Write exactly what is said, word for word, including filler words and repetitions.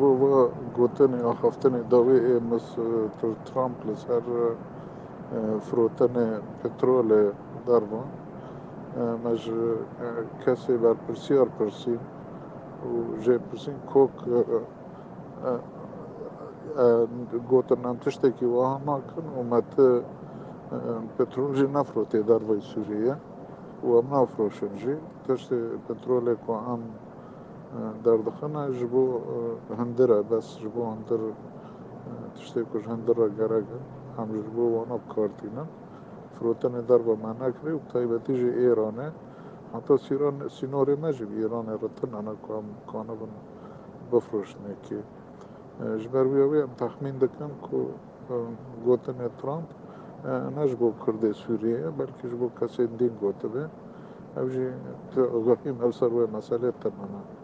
Bo va gotinê axaftinê dawê ê Mister Trump li ser, e, firotinê petrolê derva. E, me ji, e, kesê berpirsiyar pirsîn û jê pirsîn kok, e, e, e, gotin em tiştekî wiha nakin û me ti, e, petrol jî nefirotê dervayî Sûriyê û em nafroşin jî. Tiştê petrolê ku em, e, derdixine ji bo, e, hundir e, bes ji bo hundir, e, tiştê ku ji hundir re gerek e, em ji bo wana bi kar tînin. Firotinê derva me nekirê û bi taybetî jî Îranê. Heta sîran-, sînorê me jî bi Îranê re tune ne ku em kanibin bifroşinê kê. E, ji ber wî ew ê em texmîn dikin ku, e, gotinê Trump, e, ne ji bo Kurdê Sûriyê ye, belkî ji bo kesên dîn gotibe. Ew jî tu agahî me li ser wê meselê tune ne.